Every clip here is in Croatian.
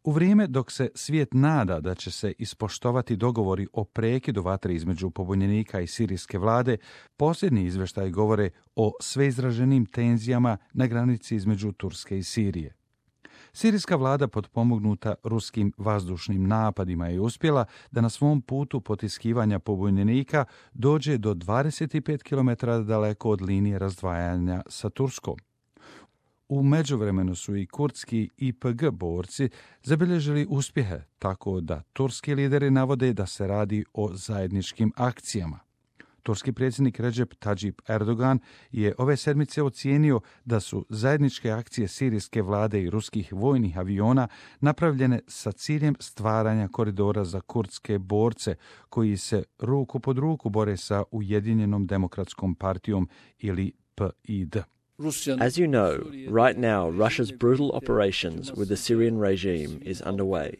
U vrijeme dok se svijet nada da će se ispoštovati dogovori o prekidu vatre između pobunjenika i sirijske vlade, posljednji izvještaji govore o sveizraženim tenzijama na granici između Turske i Sirije. Sirijska vlada potpomognuta ruskim vazdušnim napadima je uspjela da na svom putu potiskivanja pobunjenika dođe do 25 km daleko od linije razdvajanja sa Turskom. U međuvremenu su i kurdski YPG borci zabilježili uspjehe, tako da turski lideri navode da se radi o zajedničkim akcijama. Turski predsjednik Recep Tayyip Erdogan je ove sedmice ocijenio da su zajedničke akcije sirijske vlade i ruskih vojnih aviona napravljene sa ciljem stvaranja koridora za kurdske borce koji se ruku pod ruku bore sa Ujedinjenom demokratskom partijom ili PID. As you know, right now Russia's brutal operations with the Syrian regime is underway.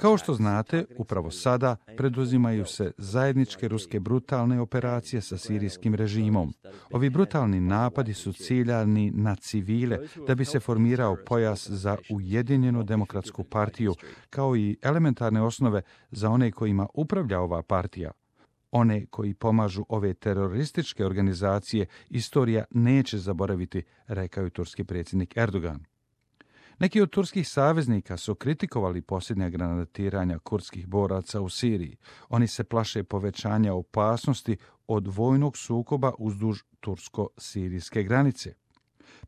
Kao što znate, upravo sada preduzimaju se zajedničke ruske brutalne operacije sa sirijskim režimom. Ovi brutalni napadi su ciljani na civile da bi se formirao pojas za Ujedinjenu demokratsku partiju, kao i elementarne osnove za one kojima upravlja ova partija. One koji pomažu ove terorističke organizacije istorija neće zaboraviti, rekao je turski predsjednik Erdogan. Neki od turskih saveznika su kritikovali posljednja granatiranja kurdskih boraca u Siriji. Oni se plaše povećanja opasnosti od vojnog sukoba uzduž tursko-sirijske granice.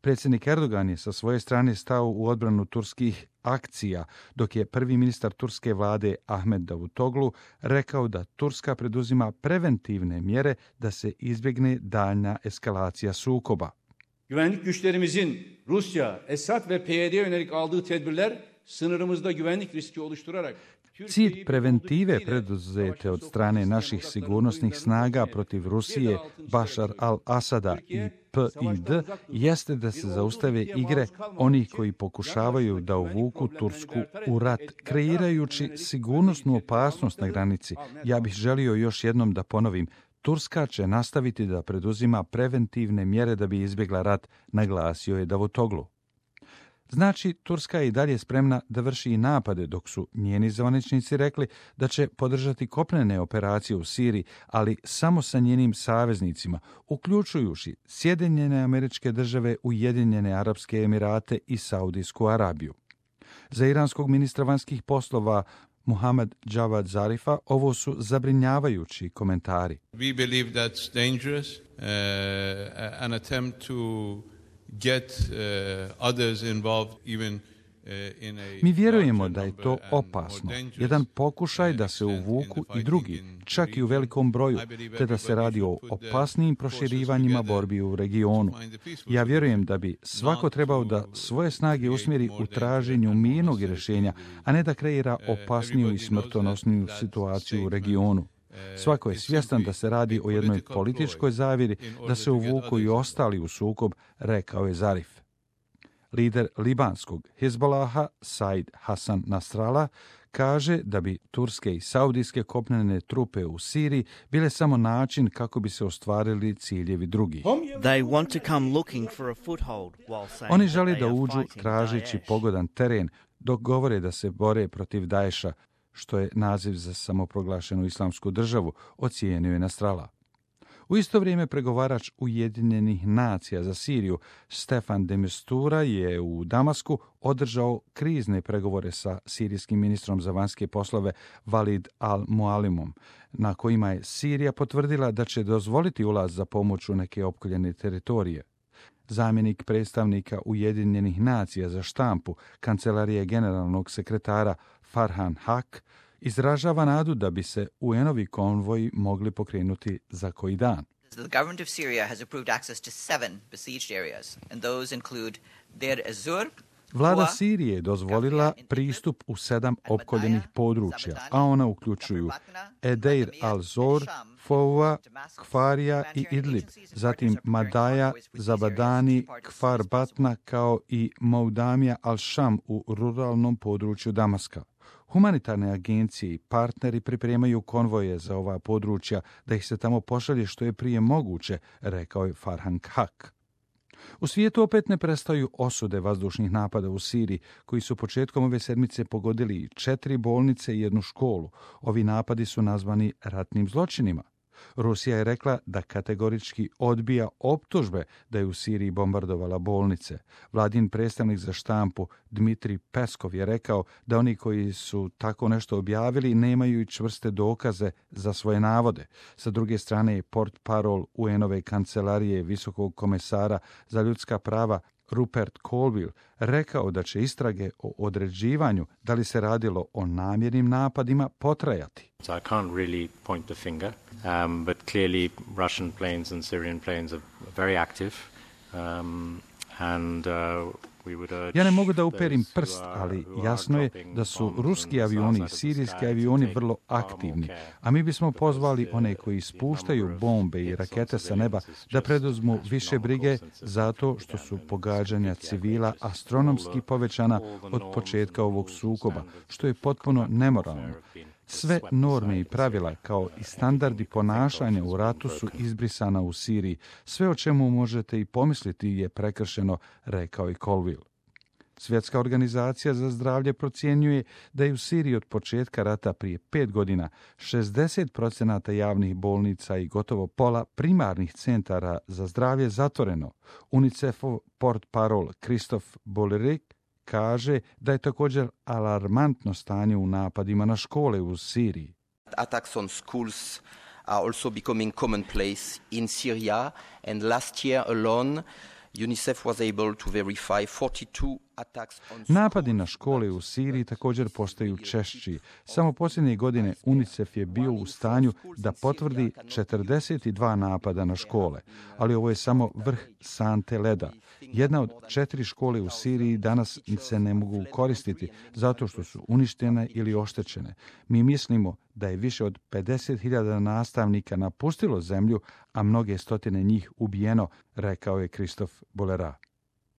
Predsjednik Erdogan je sa svoje strane stao u odbranu turskih akcija, dok je prvi ministar turske vlade Ahmet Davutoglu rekao da Turska preduzima preventivne mjere da se izbjegne daljnja eskalacija sukoba. Güvenlik güçlerimizin Rusya, Esad ve PYD'ye yönelik aldığı tedbirler sınırımızda güvenlik riski oluşturarak Cilj preventive preduzete od strane naših sigurnosnih snaga protiv Rusije, Bašar al-Asada i PID jeste da se zaustave igre onih koji pokušavaju da uvuku Tursku u rat, kreirajući sigurnosnu opasnost na granici. Ja bih želio još jednom da ponovim, Turska će nastaviti da preduzima preventivne mjere da bi izbjegla rat, naglasio je Davutoglu. Znači, Turska je i dalje spremna da vrši i napade, dok su njeni zvaničnici rekli da će podržati kopnene operacije u Siriji, ali samo sa njenim saveznicima, uključujući Sjedinjene Američke Države, Ujedinjene Arapske Emirate i Saudijsku Arabiju. Za iranskog ministra vanjskih poslova Muhammad Javad Zarifa ovo su zabrinjavajući komentari. We believe that's dangerous, an attempt to get others involved even in a... Mi vjerujemo da je to opasno, jedan pokušaj da se uvuku i drugi, čak i u velikom broju, te da se radi o opasnijim proširivanjima borbi u regionu. Ja vjerujem da bi svako trebao da svoje snage usmjeri u traženju mirnog rješenja, a ne da kreira opasniju i smrtonosniju situaciju u regionu. Svako je svjestan da se radi o jednoj političkoj zavjeri, da se uvuku i ostali u sukob, rekao je Zarif. Lider libanskog Hizbolaha, Said Hassan Nasrallah, kaže da bi turske i saudijske kopnene trupe u Siriji bile samo način kako bi se ostvarili ciljevi drugih. Oni žele da uđu tražeći pogodan teren, dok govore da se bore protiv Daesha, što je naziv za samoproglašenu islamsku državu, ocijenio je Nasrallah. U isto vrijeme pregovarač Ujedinjenih nacija za Siriju Stefan de Mistura je u Damasku održao krizne pregovore sa sirijskim ministrom za vanjske poslove Walid al-Mualimom, na kojima je Sirija potvrdila da će dozvoliti ulaz za pomoć u neke opkoljene teritorije. Zamjenik predstavnika Ujedinjenih nacija za štampu Kancelarije generalnog sekretara Farhan Haq izražava nadu da bi se UN-ovi konvoji mogli pokrenuti za koji dan. The government of Syria has approved access to 7 besieged areas, and those include Deir ez-Zur. Vlada Sirije je dozvolila pristup u 7 opkoljenih područja, a ona uključuju Edeir al-Zor, Foua, Kfarija i Idlib, zatim Madaja, Zabadani, Kfar Batna kao i Moudamija al-Sham u ruralnom području Damaska. Humanitarne agencije i partneri pripremaju konvoje za ova područja da ih se tamo pošalje što je prije moguće, rekao je Farhan Haq. U svijetu opet ne prestaju osude vazdušnih napada u Siriji, koji su početkom ove sedmice pogodili 4 bolnice i 1 školu. Ovi napadi su nazvani ratnim zločinima. Rusija je rekla da kategorički odbija optužbe da je u Siriji bombardovala bolnice. Vladin predstavnik za štampu Dmitrij Peskov je rekao da oni koji su tako nešto objavili nemaju i čvrste dokaze za svoje navode. Sa druge strane je portparol UN-ove kancelarije visokog komesara za ljudska prava Rupert Colville rekao da će istrage o određivanju da li se radilo o namjernim napadima potrajati. So I can't really point the finger, but clearly Russian planes and Syrian planes are very active, and we would urge. Ja ne mogu da uperim prst, ali jasno je da su ruski avioni i sirijski avioni vrlo aktivni, a mi bismo pozvali one koji spuštaju bombe i rakete sa neba da preduzmu više brige zato što su pogađanja civila astronomski povećana od početka ovog sukoba, što je potpuno nemoralno. Sve norme i pravila kao i standardi ponašanja u ratu su izbrisana u Siriji. Sve o čemu možete i pomisliti je prekršeno, rekao i Colville. Svjetska organizacija za zdravlje procjenjuje da je u Siriji od početka rata prije 5 godina 60% javnih bolnica i gotovo pola primarnih centara za zdravlje zatvoreno. UNICEF-ov portparol Christophe Bollerik kaže da je također alarmantno stanje u napadima na škole u Siriji. Attacks on schools are also becoming commonplace in Syria, and last year alone UNICEF was able to verify 42 attacks on schools. Napadi na škole u Siriji također postaju češći. Samo posljednje godine UNICEF je bio u stanju da potvrdi 42 napada na škole, ali ovo je samo vrh sante leda. Jedna od 4 škole u Siriji danas se ne mogu koristiti zato što su uništene ili oštećene. Mi mislimo da je više od 50.000 nastavnika napustilo zemlju, a mnoge stotine njih ubijeno, rekao je Christophe Bollerat.